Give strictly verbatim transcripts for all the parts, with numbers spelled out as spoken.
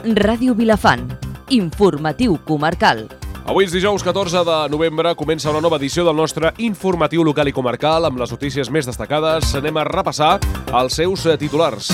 Ràdio Vilafant. Informatiu comarcal. Avui és dijous catorze de novembre, comença una nova edició del nostre informatiu local i comarcal amb les notícies més destacades. Anem a repassar els seus titulars.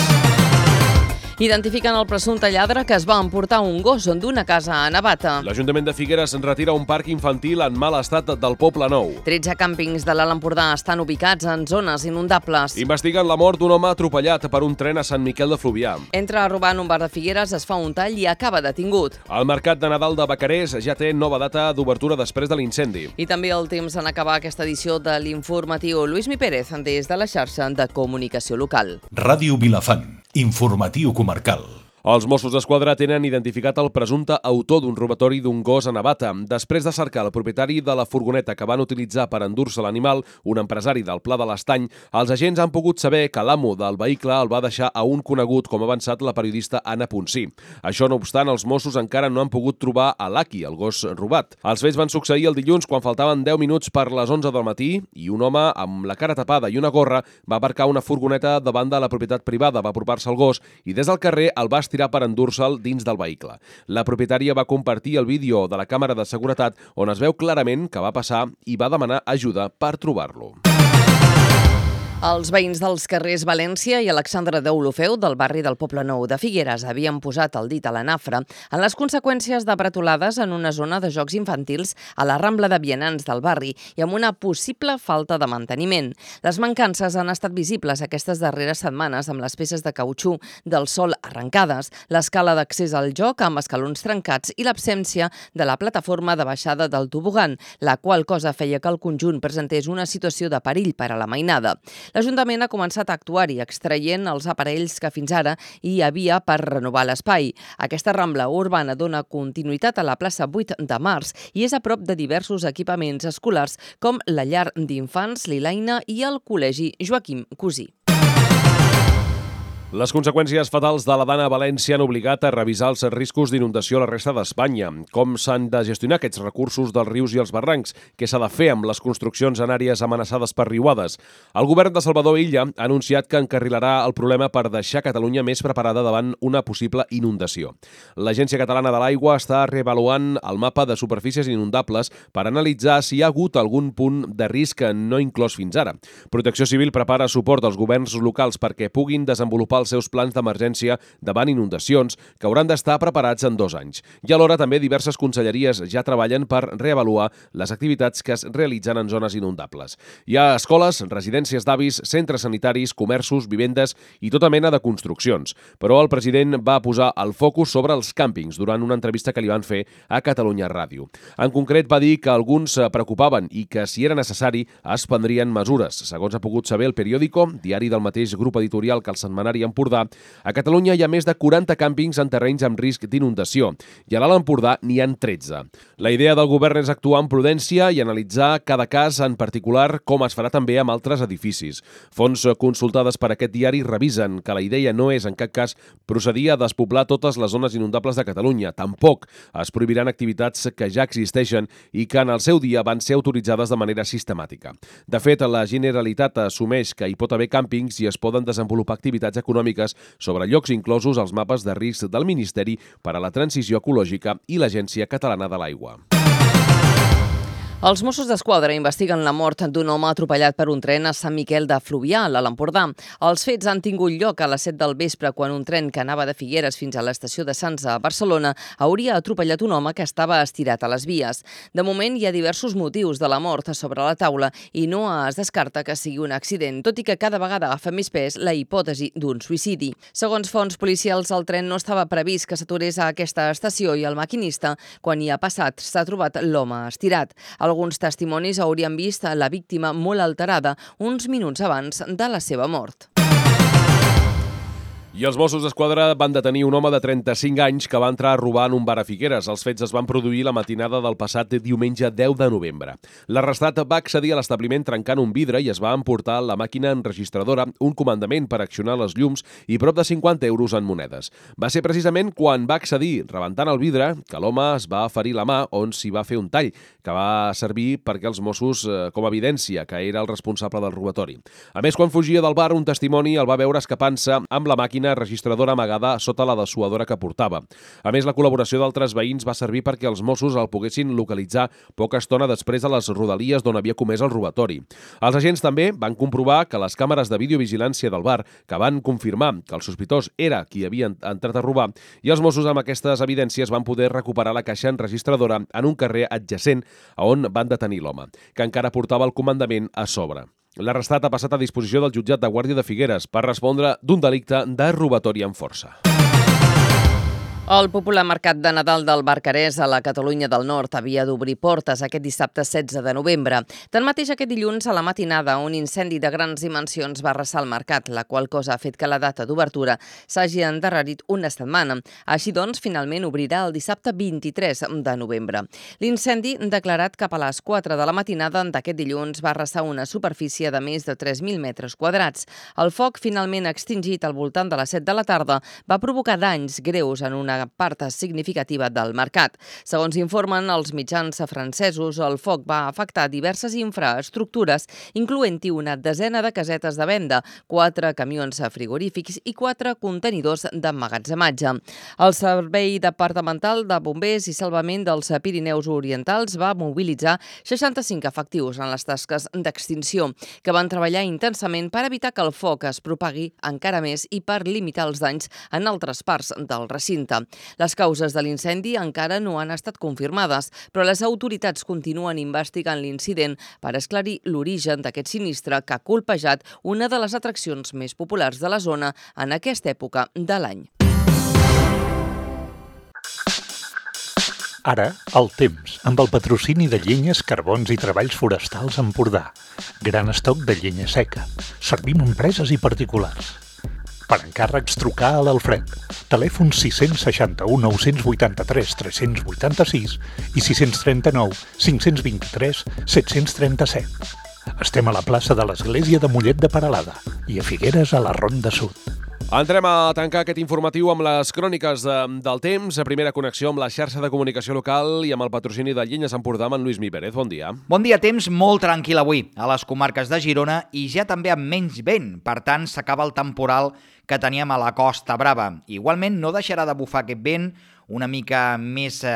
Identifiquen el presumpte lladre que es va emportar un gos d'una casa a Navata. L'Ajuntament de Figueres retira un parc infantil en mal estat del Poble Nou. tretze càmpings de l'Alt Empordà estan ubicats en zones inundables. Investiguen la mort d'un home atropellat per un tren a Sant Miquel de Fluvià. Entra a robar en un bar de Figueres, es fa un tall i acaba detingut. El mercat de Nadal de Vacarés ja té nova data d'obertura després de l'incendi. I també el temps en acabar aquesta edició de l'informatiu. Lluís Mi Pérez, des de la xarxa de comunicació local. Ràdio Vilafant. Informatiu comarcal. Els Mossos d'Esquadra tenen identificat el presumpte autor d'un robatori d'un gos a Navata. Després de cercar el propietari de la furgoneta que van utilitzar per endur-se l'animal, un empresari del Pla de l'Estany, els agents han pogut saber que l'amo del vehicle el va deixar a un conegut, com ha avançat la periodista Anna Ponsí. Això no obstant, els Mossos encara no han pogut trobar a l'Aki, el gos robat. Els fets van succeir el dilluns quan faltaven deu minuts per les onze del matí i un home amb la cara tapada i una gorra va aparcar una furgoneta davant de la propietat privada, va apropar-se al gos i des del carrer el va estirar per endur-se'l dins del vehicle. La propietària va compartir el vídeo de la càmera de seguretat on es veu clarament que va passar i va demanar ajuda per trobar-lo. Els veïns dels carrers València i Alexandre d'Olofeu del barri del Poble Nou de Figueres havien posat el dit a la nafra en les conseqüències de bretolades en una zona de jocs infantils a la Rambla de Vianants del barri i amb una possible falta de manteniment. Les mancances han estat visibles aquestes darreres setmanes amb les peces de cautxú del sol arrencades, l'escala d'accés al joc amb escalons trencats i l'absència de la plataforma de baixada del tobogan, la qual cosa feia que el conjunt presentés una situació de perill per a la mainada. L'Ajuntament ha començat a actuar-hi, extraient els aparells que fins ara hi havia per renovar l'espai. Aquesta rambla urbana dona continuïtat a la plaça vuit de març i és a prop de diversos equipaments escolars com la llar d'infants Lilaina i el col·legi Joaquim Cusí. Les conseqüències fatals de la dana a València han obligat a revisar els riscos d'inundació a la resta d'Espanya. Com s'han de gestionar aquests recursos dels rius i els barrancs? Què s'ha de fer amb les construccions en àrees amenaçades per riuades? El govern de Salvador Illa ha anunciat que encarrilarà el problema per deixar Catalunya més preparada davant una possible inundació. L'Agència Catalana de l'Aigua està reavaluant el mapa de superfícies inundables per analitzar si hi ha hagut algun punt de risc no inclòs fins ara. Protecció Civil prepara suport als governs locals perquè puguin desenvolupar els seus plans d'emergència davant inundacions que hauran d'estar preparats en dos anys. I alhora també diverses conselleries ja treballen per reavaluar les activitats que es realitzen en zones inundables. Hi ha escoles, residències d'avis, centres sanitaris, comerços, vivendes i tota mena de construccions. Però el president va posar el focus sobre els càmpings durant una entrevista que li van fer a Catalunya Ràdio. En concret va dir que alguns es preocupaven i que si era necessari es prendrien mesures. Segons ha pogut saber el Periódico, diari del mateix grup editorial que el setmanari Empordà, a Catalunya hi ha més de quaranta càmpings en terrenys amb risc d'inundació i a l'Alt Empordà n'hi ha tretze. La idea del govern és actuar amb prudència i analitzar cada cas en particular, com es farà també amb altres edificis. Fonts consultades per aquest diari revisen que la idea no és en cap cas procedir a despoblar totes les zones inundables de Catalunya. Tampoc es prohibiran activitats que ja existeixen i que en el seu dia van ser autoritzades de manera sistemàtica. De fet, la Generalitat assumeix que hi pot haver càmpings i es poden desenvolupar activitats econòmiques sobre llocs inclosos als mapes de risc del Ministeri per a la Transició Ecològica i l'Agència Catalana de l'Aigua. Els Mossos d'Esquadra investiguen la mort d'un home atropellat per un tren a Sant Miquel de Fluvià, a l'Alt Empordà. Els fets han tingut lloc a les set del vespre quan un tren que anava de Figueres fins a l'estació de Sants a Barcelona hauria atropellat un home que estava estirat a les vies. De moment hi ha diversos motius de la mort sobre la taula i no es descarta que sigui un accident, tot i que cada vegada agafa més pes la hipòtesi d'un suïcidi. Segons fonts policials, el tren no estava previst que s'aturés a aquesta estació i el maquinista, quan hi ha passat, s'ha trobat l'home estirat. Alguns testimonis haurien vist la víctima molt alterada uns minuts abans de la seva mort. I els Mossos d'Esquadra van detenir un home de trenta-cinc anys que va entrar a robar en un bar a Figueres. Els fets es van produir la matinada del passat diumenge deu de novembre. L'arrestat va accedir a l'establiment trencant un vidre i es va emportar la màquina enregistradora, un comandament per accionar les llums i prop de cinquanta euros en monedes. Va ser precisament quan va accedir, rebentant el vidre, que l'home es va ferir la mà on s'hi va fer un tall, que va servir perquè els Mossos, eh, com a evidència, que era el responsable del robatori. A més, quan fugia del bar, un testimoni el va veure escapant-se amb la màquina màquina registradora amagada sota la dessuadora que portava. A més, la col·laboració d'altres veïns va servir perquè els Mossos el poguessin localitzar poca estona després a les rodalies d'on havia comès el robatori. Els agents també van comprovar que les càmeres de videovigilància del bar, que van confirmar que el sospitós era qui havia entrat a robar, i els Mossos amb aquestes evidències van poder recuperar la caixa enregistradora en un carrer adjacent a on van detenir l'home, que encara portava el comandament a sobre. L'arrestat ha passat a disposició del jutjat de Guàrdia de Figueres per respondre d'un delicte de robatori amb força. El popular mercat de Nadal del Barcarès a la Catalunya del Nord havia d'obrir portes aquest dissabte setze de novembre. Tanmateix, aquest dilluns a la matinada, un incendi de grans dimensions va arrasar el mercat, la qual cosa ha fet que la data d'obertura s'hagi endarrerit una setmana. Així doncs, finalment obrirà el dissabte vint-i-tres de novembre. L'incendi, declarat cap a les quatre de la matinada d'aquest dilluns, va arrasar una superfície de més de tres mil metres quadrats. El foc, finalment extingit al voltant de les set de la tarda, va provocar danys greus en una part significativa del mercat. Segons informen els mitjans francesos, el foc va afectar diverses infraestructures, incloent-hi una desena de casetes de venda, quatre camions frigorífics i quatre contenidors d'emmagatzematge. El Servei Departamental de Bombers i Salvament dels Pirineus Orientals va mobilitzar seixanta-cinc efectius en les tasques d'extinció, que van treballar intensament per evitar que el foc es propagui encara més i per limitar els danys en altres parts del recinte. Les causes de l'incendi encara no han estat confirmades, però les autoritats continuen investigant l'incident per esclarir l'origen d'aquest sinistre que ha colpejat una de les atraccions més populars de la zona en aquesta època de l'any. Ara, el temps, amb el patrocini de Llenyes, Carbons i Treballs Forestals Empordà. Gran estoc de llenya seca. Servim empreses i particulars. Per encàrrecs, trucar a l'Alfred. Telèfon sis sis u, nou vuit tres, tres vuit sis i sis tres nou, cinc dos tres, set tres set. Estem a la plaça de l'Església de Mollet de Peralada i a Figueres a la Ronda Sud. Entrem a tancar aquest informatiu amb les cròniques de, del temps, a primera connexió amb la xarxa de comunicació local i amb el patrocini de Llenyes Empordà amb en Lluís Mi Pérez. Bon dia. Bon dia, temps molt tranquil avui a les comarques de Girona i ja també amb menys vent. Per tant, s'acaba el temporal que teníem a la Costa Brava. Igualment, no deixarà de bufar aquest vent una mica més eh,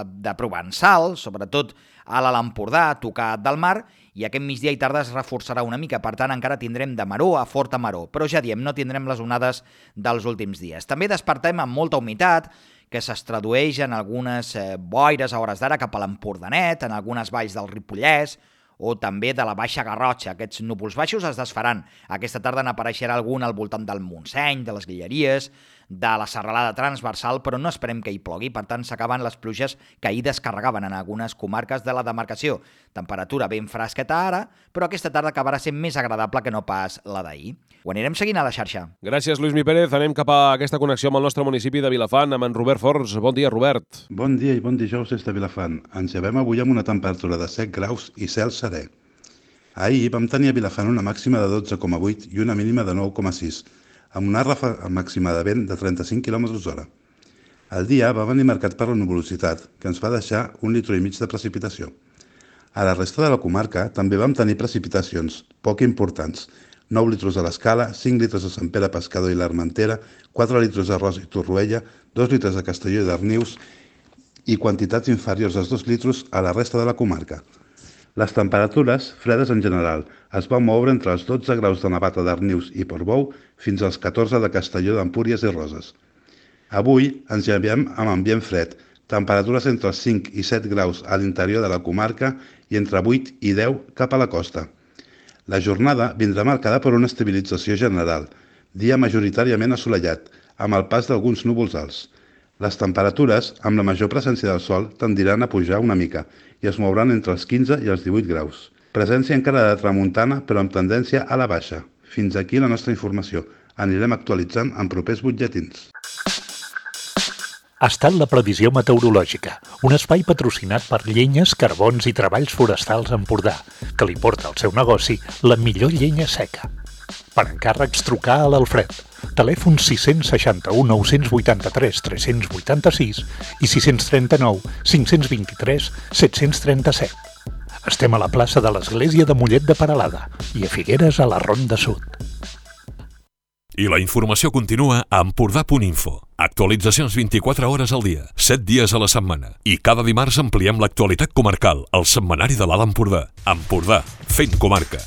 de provençal, sobretot a l'Alt Empordà, a tocar del mar, i aquest migdia i tarda es reforçarà una mica. Per tant, encara tindrem de maró a forta maró, però ja diem, no tindrem les onades dels últims dies. També despertem amb molta humitat, que es tradueix en algunes eh, boires a hores d'ara cap a l'Empordanet, en algunes valls del Ripollès, o també de la Baixa Garrotxa. Aquests núvols baixos es desfaran. Aquesta tarda n'apareixerà algun al voltant del Montseny, de les Guilleries, de la serralada transversal, però no esperem que hi plogui. Per tant, s'acaben les pluges que ahir descarregaven en algunes comarques de la demarcació. Temperatura ben fresqueta ara, però aquesta tarda acabarà sent més agradable que no pas la d'ahir. Ho anirem seguint a la xarxa. Gràcies, Lluís Mi Pérez. Anem cap a aquesta connexió amb el nostre municipi de Vilafant, amb en Robert Forns. Bon dia, Robert. Bon dia i bon dijous des de Vilafant. Ens llevem avui amb una temperatura de set graus i cel serè. Ahir vam tenir a Vilafant una màxima de dotze coma vuit i una mínima de nou coma sis, amb una ràfega màxima de vent de trenta-cinc quilòmetres hora. El dia va venir marcat per la nuvolositat, que ens va deixar un litre i mig de precipitació. A la resta de la comarca també vam tenir precipitacions, poc importants, nou litres a l'Escala, cinc litres a Sant Pere Pescador i l'Armentera, quatre litres a Rosa i Torroella, dos litres a Castelló i Darnius i quantitats inferiors als dos litres a la resta de la comarca. Les temperatures, fredes en general, es van moure entre els dotze graus de Navata, Darnius i Portbou fins als catorze de Castelló d'Empúries i Roses. Avui ens llevem amb ambient fred, temperatures entre els cinc i set graus a l'interior de la comarca i entre vuit i deu cap a la costa. La jornada vindrà marcada per una estabilització general, dia majoritàriament assolellat, amb el pas d'alguns núvols alts. Les temperatures, amb la major presència del sol, tendiran a pujar una mica i es mouran entre els quinze i els divuit graus. Presència encara de tramuntana, però amb tendència a la baixa. Fins aquí la nostra informació. Anirem actualitzant en propers butlletins. Ha estat la previsió meteorològica, un espai patrocinat per Llenyes, Carbons i Treballs Forestals Empordà, que li porta al seu negoci la millor llenya seca. Per encàrrecs, trucar a l'Alfred. Telèfon sis sis u, nou vuit tres, tres vuit sis i sis tres nou, cinc dos tres, set tres set. Estem a la plaça de l'Església de Mollet de Peralada i a Figueres a la Ronda Sud. I la informació continua a empordà punt info. Actualitzacions vint-i-quatre hores al dia, set dies a la setmana. I cada dimarts ampliem l'actualitat comarcal, al setmanari de l'Alt Empordà. Empordà, fent comarca.